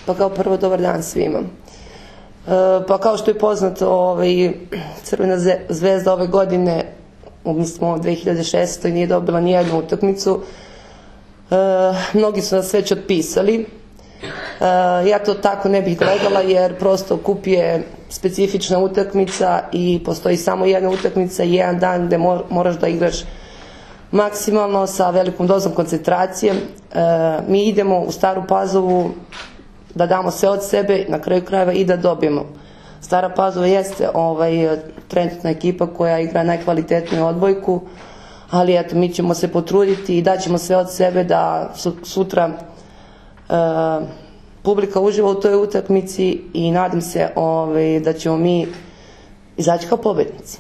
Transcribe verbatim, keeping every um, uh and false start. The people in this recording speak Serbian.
Pa kao prvo, dobar dan svima. Pa kao što je poznato, Crvena zvezda ove godine, mi smo u dve hiljade šestoj nije dobila nijednu utakmicu. Mnogi su nas već otpisali. Ja to tako ne bih gledala, jer prosto kup je specifična utakmica i postoji samo jedna utakmica i jedan dan gde moraš da igraš maksimalno sa velikom dozom koncentracije. Mi idemo u Staru Pazovu da damo sve od sebe, na kraju krajeva i da dobijemo. Stara Pazova jeste trenutna ekipa koja igra najkvalitetniju odbojku, ali eto, mi ćemo se potruditi i daćemo sve od sebe da sutra publika uživa u toj utakmici i nadam se da ćemo mi izaći kao pobednici.